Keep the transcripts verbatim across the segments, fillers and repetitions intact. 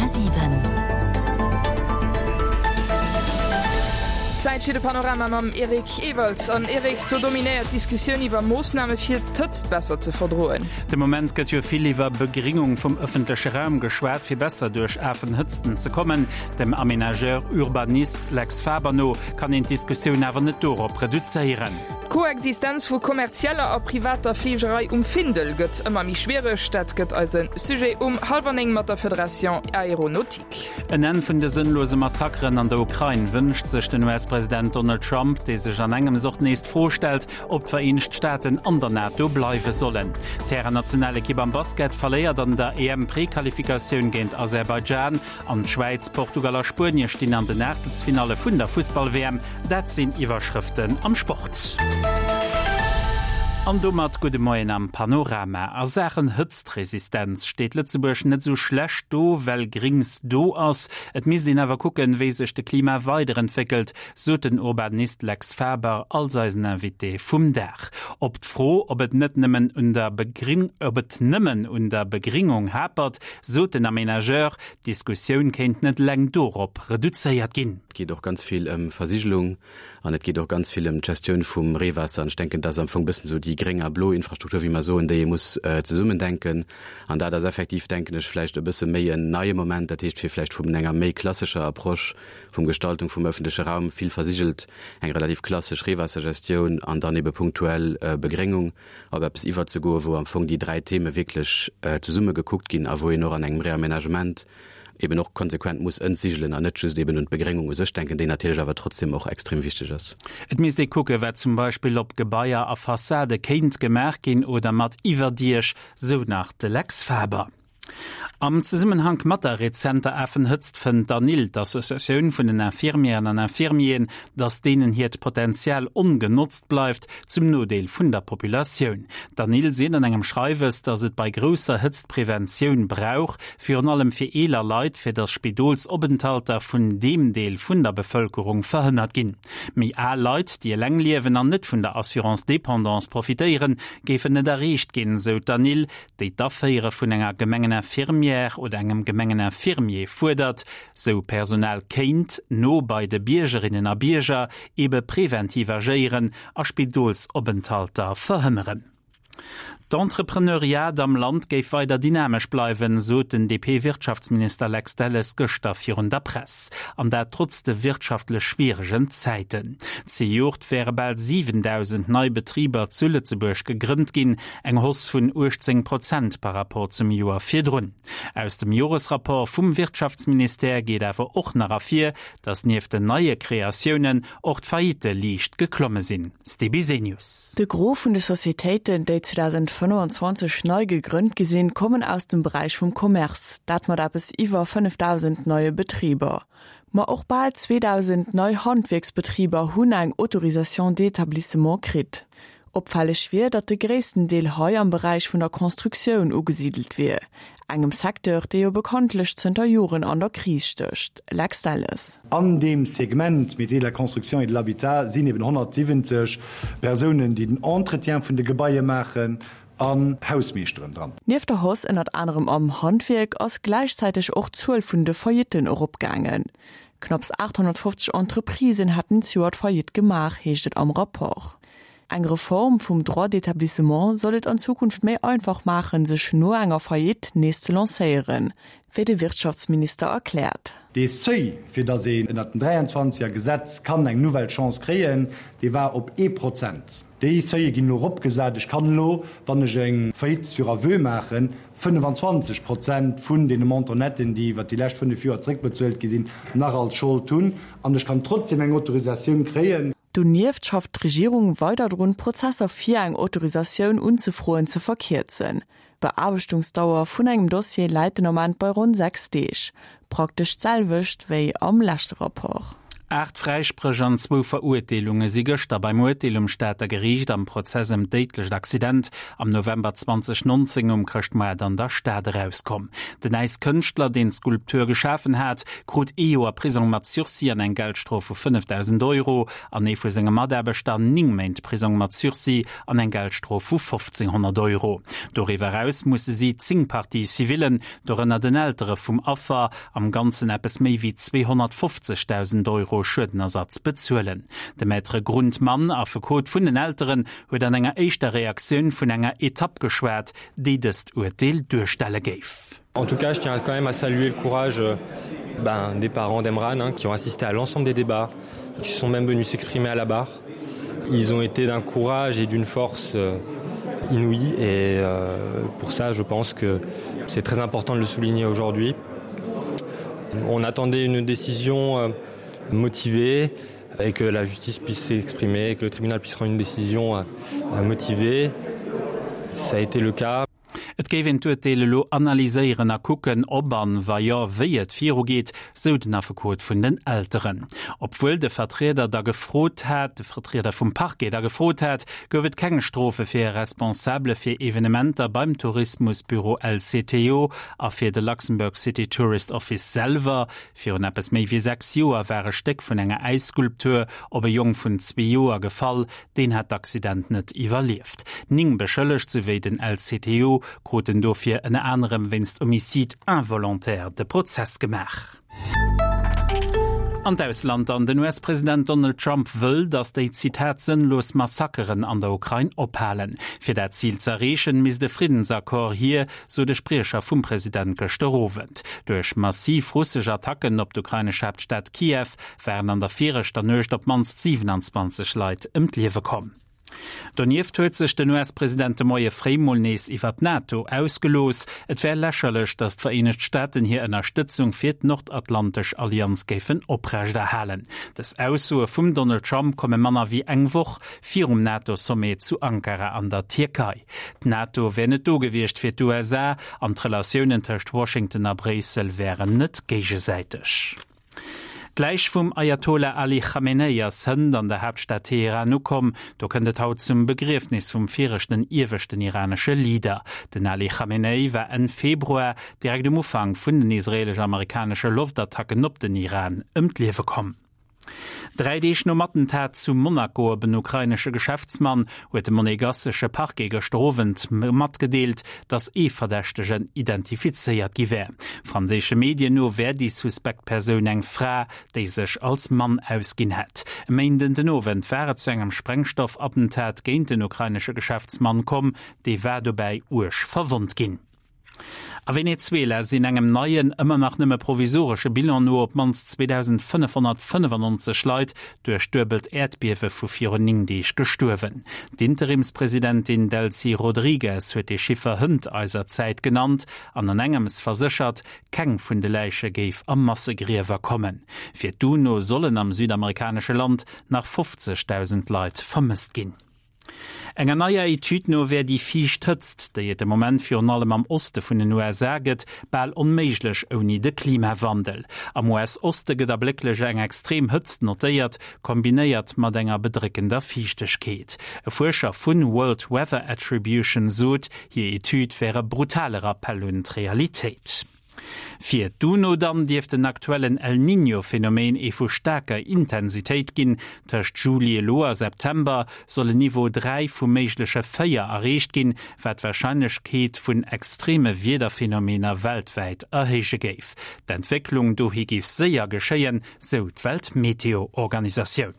Komma siwen. Zäit fir de Panorama mam Eric Ewald. An Eric, do dominéiert d'Diskussioun iwwer Moossname fir d'Hëtzt besser ze verdroen. De Moment gëtt jo vill iwwer Begringung vum ëffentleche Raum geschwat, fir besser duerch afen Hëtzten ze kommen. Dem Aménageur Urbanist Lex Faber no kann een d'Diskussioun awer net dorop reduzéieren. D'Koexistenz vu kommerzieller a privater Fligerei um Findel gëtt ëmmer méi schwiereg. Dat gëtt eise Sujet um hallwer néng mat der Fédération Aéronautique. En Enn vun de sënnlose Massakeren an der Ukrain wënscht sech den U S-President Donald Trump, dee sech an engems och nees d'Fro stellt, ob d'Vereenegt Staaten an der NATO bleiwe sollen. D'Hären-Nationalekipp am Basket verléiert an der E M-Prequalifikatioun géint Aserbaidschan an d'Schwäiz, Portugal a Spuenie stinn an den Aachtelsfinalle vun der Fussball-W M. Dat sinn Iwwerschrëften am Sport. An domat gudde Moien am Panorama. A Saachen Hëtztresistenz steet Lëtzebuerg net sou schlecht do, well Grings do ass. Et misst een awer kucken, wéi sech de Klima weiderentwéckelt, sot den Urbanist Lex Faber als eisen Invité vum Dag. Op d'Fro, ob et net nëmmen un der Begring ob et nëmmen un der Begringung hapert, sot den Aménageur, d'Diskussioun kéint net eleng dorop reduzéiert ginn. Et geet och ganz vill ëm Versigelung an et geet och ganz vill ëm d'Gestioun vum Reewaasser. An ech denken, dat ass am Fong e bëssen esou déi gréng a blo Infrastruktur, wéi mer soen, déi ee muss zesummen denken. An dat ass effektiv, denken ech, vläicht e bësse méi en neie Moment, dat heescht fir vläicht vun enger méi klassescher Approche vum Gestaltung vum öffentleche Raum, vill versigelt, eng relativ klassesch Reewaassergestioun an dann ebe punktuell Begréngung, op eppes iwwerzegoen, wou am Fong déi dräi Theme wierklech zesumme gekuckt ginn a wou een och an engem Reaménagement eben och konsequent muss entsigelen an net just eben un d'Begréngung u sech denken, déi natierlech awer trotzdem och extrem wichteg ass. Et misst ee kucke wat zum Beispill op Gebaier a Fassade kéint gemaach ginn oder mat Iwwerdiech, sou nach de Lex Faber. Am Zesummenhank mat der rezenter Afenhëtzt fënnt d'ANIL, d'Associatioun vun den Infirmièren an Infirmieren, datt deenen hiert Potenzial ongenotzt bleift, zum Nodeel vun der Populatioun. D'ANIL seet an engem Schreiwes, datt et bei grousser Hëtzt Preventioun brauch, virun allem fir eeler Leit, fir datt Spidolsopenthalter vun deem Deel vun der Bevëlkerung verhënnert ginn. Méi al Leit, déi eleng liewen an net vun der Assurance dépendance profitéieren, géifen net erreecht ginn, sou d'ANIL, déi d'Aféiere vun enger Gemengeninfirmière oder engem Gemengeninfirmier fuerdert. Sou Personal kéint no bei de Biergerinnen a Bierger ebe preventiv agéieren a Spidolsopenthalter verhënneren. D'Entrepreneuriat am Land géif weider dynamesch bleiwen, sot den D P-Wirtschaftsminister Lex Delles gëschter virun der Press. An dat trotz de wirtschaftlech schwieregen Zäiten. Zejoert wäre bal siwendausend nei Betriber zu Lëtzebuerg gegrënnt ginn, eng Hausse vun uechtzéng Prozent par rapport zum Joer virdrun. Aus dem Joresrapport vum Wirtschaftsministère geet awer och nach ervir, datt nieft den neie Kreatiounen och d'Faillitte liicht geklomme sinn. Steve Bisenius. De Gros vun de Societéiten, déi zweedausendfënnefenzwanzeg nei gegrënnt gi sinn, kommen aus dem Beräich vum Commerce, dat mat eppes iwwer fënnefdausend neie Betriber. Ma och bal zweedausend nei Handwierksbetriber hunn eng Autorisation d'établissement kritt. Opfälleg wier, datt de gréissten Deel hei am Beräich vun der Constructioun ugesidelt wier, engem Secteur, dee jo bekanntlech zënter Joren an der Kris stécht. Lex Delles. An deem Segment Métiers de la construction et de l'habitat sinn eben honnertsiwwenzeg Persounen, déi den Entretien vun de Gebaie maachen, an Hausmeeschteren dran. Nieft der Hausse ënnert anerem am Handwierk ass gläichzäiteg och d'Zuel vun de Faillitten eropgaangen. Knapps aathonnertfofzeg Entreprisen hätten zejoert Faillite gemaach, heescht et am Rapport. Eng Reform vum Droit d'établissement soll et an Zukunft méi einfach maachen, sech no enger Faillite nees ze lancéieren, wéi de Wirtschaftsminister erkläert. Dee Seuil, fir datt een ënnert dem dräianzwanzeger Gesetz kann eng nouvelle Chance kréien, dee war op ee Prozent. Déi Seuile ginn elo eropgesat. Ech kann elo, wann ech eng Faillite sur aveu maachen, fënnefenzwanzeg Prozent vun deene Montant-netten, déi iwwert déi lescht fënnef Joer zeréckbezuelt gi sinn, nach als Schold hunn an ech kann trotzdem eng Autorisatioun kréien. Donieft schafft d'Regierung weider drun, Prozesser fir eng Autorisatioun unzefroen ze verkierzen. D'Beaarbechtungsdauer vun engem Dossier läit den Ament bei ronn sechs Deeg. Praktesch d'selwecht wéi am leschte Rapport. Aacht Fräispréch an zwou Verurteelunge si gëschter beim Urteel um Stater Geriicht am Prozess ëm d'déidlecht Accident am November zweedausendnonzéng um Chrëschtmoart an der Stad erauskomm. Den Äiskënschtler, deen d'Skulptur geschafen hat, krut ee Joer Prisong mat Sursis an eng Geldstrof vu fënnefdausend Euro an ee vu senge Mataarbechter néng Méint Prisong mat Sursis an eng Geldstrof vu fofzénghonnert Euro. Doriwwer eraus musse si zéng Partie-civillen, dorënner den Eltere vum Affer, am Ganzen eppes méi wéi zweehonnertfofzegdausend Euro Schuedenersatz bezuelen. De Maître Grundmann, Affekot vun den Elteren, huet an enger éischter Reaktioun vun enger Etapp geschwat, déi dëst Urteel duerstelle géif. En tout cas, je tiens quand même à saluer le courage ben, des parents d'Emran hein, qui ont assisté à l'ensemble des débats, qui sont même venus s'exprimer à la barre. Ils ont été d'un courage et d'une force euh, inouïe et euh, pour ça, je pense que c'est très important de le souligner aujourd'hui. On attendait une décision euh, motivée et que la justice puisse s'exprimer, que le tribunal puisse rendre une décision euh, motivée. Ça a été le cas. Et géif een d'Urteel elo analyséieren a kucken, ob an, wa jo, wéi et virugeet, sou den Affekot vun den Elteren. Obwuel de Vertrieder da gefrot hat, de Vertrieder vum Parquet da gefrot hat, gouf et keng Strofe fir Responsabele fir Evenementer beim Tourismusbüro L C T O a fir de Luxembourg City Tourist Office selwer. Virun eppes méi wéi sechs Joer war e Stéck vun enger Äisskulptur op e Jong vun zwee Joer gefall, deen hat d'Accident net iwwerlieft. Néng Beschëllegt souwéi den L C T O kruten dofir ënner anerem wéinst Homicide involontaire de Prozess gemaach. An d'Ausland dann, Den U S-President Donald Trump wëll, datt déi Zitat sënnlos Massakeren an der Ukrain ophalen. Fir dat Zil ze erreechen, misst e Friddensaccord hier, sou de Spriecher vum President gëschter Owend. Duerch massiv russesch Attacken op d'ukrainesch Haaptstad Kiew waren an der viregter Nuecht op d'mannst siewenanzwanzeg Leit ëm d'Liewe komm. Donieft huet sech den U S-President de Moie fréi mol nees iwwer d'NATO ausgelooss. Et wär lächerlech, datt d'Vereenegt Staaten hir Ënnerstëtzung fir d'Nordatlantesch Allianz géifen oprechterhalen. Dës Aussoe vum Donald Trump komme manner wéi eng Woch virum NATO-Sommet zu Ankara an der Tierkei. D'NATO wär net do gewiescht fir d'U S A an d'Relatiounen tëscht Washington a Bréissel wären net géigesäiteg. D'Läich vum Ayatollah Ali Khamenei ass hënt an der Haaptstad Teheran ukomm. Do kënnt et haut zum Begriefnis vum viregten ieweschten iranesche Leader. Den Ali Khamenei war Enn Februar direkt um Ufank vun den israelesch-amerikanesche Loftattacken op den Iran ëm d'Liewe komm. Dräi Deeg nom Attentat zu Monaco op en ukrainesche Geschäftsmann huet de monegassesche Parquet gëschter Owend matgedeelt, datt ee Verdächtegen identifizéiert gi wär. Franséische Medien no wär déi suspekt Persoun eng Fra, déi sech als Mann ausginn hätt. E Méinden den Owend war et zu engem Sprengstoffattentat géint den ukrainesche Geschäftsmann komm, dee war dobäi uerg verwonnt ginn. A Venezuela sinn engem neien, ëmmer nach nëmme provisoresche Bilan no op d'mannst zweedausendfënnefhonnertfënnefannonzeg Leit duerch d'duebelt Äerdbiewe vu virun néng Deeg gestuerwen. D'Interimspresidentin Delcy Rodriguez huet de Chiffer hënt eiser Zäit genannt an an engems verséchert, keng vun de Läiche géif a Massegriewer kommen. Fir d'UNO sollen am südamerikanesche Land nach fofzegdausend Leit vermësst ginn. Enger neier Etüd no wär déi fiicht Hëtzt, déi et de Moment virun allem am Oste vun den U S A gëtt, bal onméiglech ouni de Klimawandel. Am U S-Oste gëtt ablécklech eng extrem Hëtzt notéiert, kombinéiert mat enger bedréckender Fiichtegkeet. E Fuerscher vun World Weather Attribution sot, hir Etüd wär e brutale Rappell un d'Realitéit. Fir d'UNO dann dierft den aktuellen El Niño-Phänomen ee vu staarker Intensitéit ginn. Tëscht Juli elo a September soll en Niveau dräi vu méigleche véier erreecht ginn, wat d'Warscheinlechkeet vun extreme Wiederphänomener weltwäit erhéije géif. D'Entwécklung dohi géif séier geschéien, sou d'Weltmeteo-Organisatioun.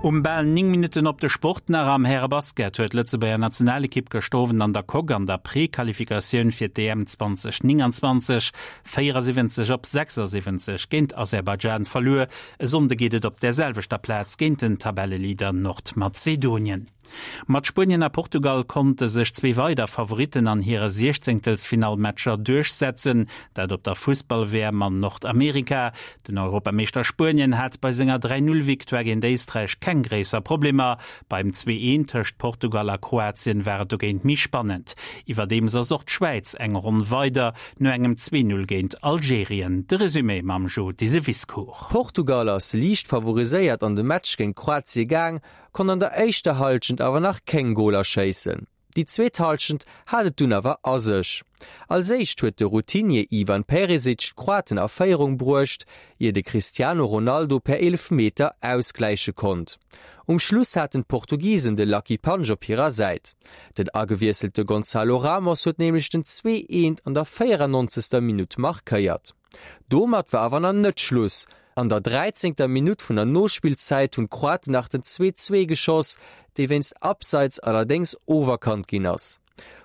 Um bal néng Minutten op de Sport nach. Am Härebasket huet d'Lëtzebuerger Nationalekipp gëschter Owend an der Coque an der Prequalifikatioun fir d'E M zweedausendnenganzwanzeg véierasiwwenzeg op sechsasiwwenzeg géint Aserbaidschan verluer. E Sonnde geet et op der selwechter Plaz géint den Tabelleleader Nordmazedonien. Mat Spuenien a Portugal konnte sech zwee weider Favoritten an hire Siechzéngtelsfinallmatcher duerchsetzen, dat op der Fussball-WM an Nordamerika. Den Europameeschter Spuenien hat bei senger dräi-Null-Victoire géint Éisträich keng gréisser Problemer. Beim Zwee-Eent tëscht Portugal a Kroatien war et dogéint méi spannend. Iwwerdeems ass och d'Schwäiz eng Ronn weider, no engem Zwee-Null géint Algerien. De Resumé mam Jo Diseviscourt. Portugal ass liicht favoriséiert an de Match géint Kroatie gaang, konnt an der éischter Hallschent awer nach keng Goler schéissen. Déi zweet Hallschent hat et dunn awer a sech. Als éischt huet de Routinier Ivan Perisic d'Kroaten a Féierung bruecht, ier de Cristiano Ronaldo per Eelefmeter ausgläiche konnt. Um Schluss haten d'Portugisen de Lucky Punch op hirer Säit. Den agewiesselte Gonçalo Ramos huet nämlech den zwee eent an der véierannonzegster Minutt markéiert. Domat war awer nach net Schluss. An der dräizéngter Minutt vun der Nospillzäit hunn d'Kroaten nach den zwee zwee geschoss, dee wéinst Abseits allerdéngs oferkannt ginn ass.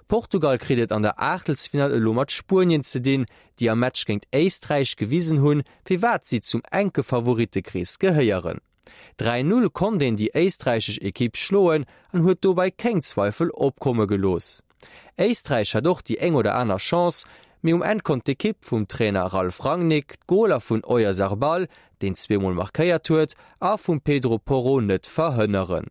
Portugal kritt et an der Aachtelsfinall elo mat Spuenien ze dinn, déi am Match géint Éisträich gewisen hunn, firwat si zum enke Favorittekrees gehéieren. Dräi Null konnt een déi éisträichesch Ekipp schloen an huet dobäi keng Zweifel opkomme gelooss. Éisträich hat och déi eng oder aner Chance, mee um Enn konnt d'Ekipp vum Trainer Ralf Rangnick d'Goler vun Oyarzabal, deen zweemol markéiert huet, a vum Pedro Porro net verhënneren.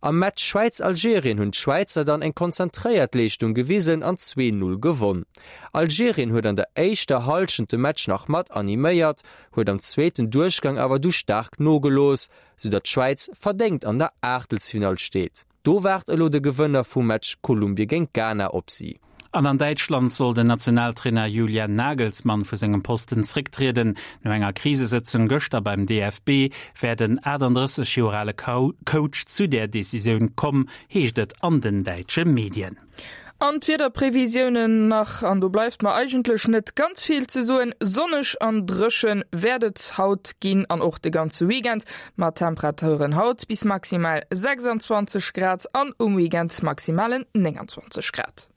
Am Match Schwäiz-Algerien hunn d'Schwäizer dann eng konzentréiert Leeschtung gewisen an zwee Null gewonn. Algerien huet an der éischter Hallschent de Match nach mat animéiert, huet am zweeten Duerchgang awer du staark nogelooss, soudatt d'Schwäiz verdéngt an der Aachtelsfinall steet. Do waart elo de Gewënner vum Match Kolumbie géint Ghana op si. An an Däitschland soll den Nationaltrainer Julian Nagelsmann vu sengem Posten zrécktrieden. No enger Krisesëtzung gëschter beim D F B wär den achtandrësseg Joer ale Coach zu där Decisioun komm, heescht et an den däitsche Medien. An d'Wiederprevisiounen nach, an do bleift mer eigentlech net ganz vill ze soen, Sonneg an dréche wäert et haut ginn an och de ganze Weekend, mat Temperaturen haut bis maximal sechsanzwanzeg Grad an um Weekend maximalen nénganzwanzeg Grad.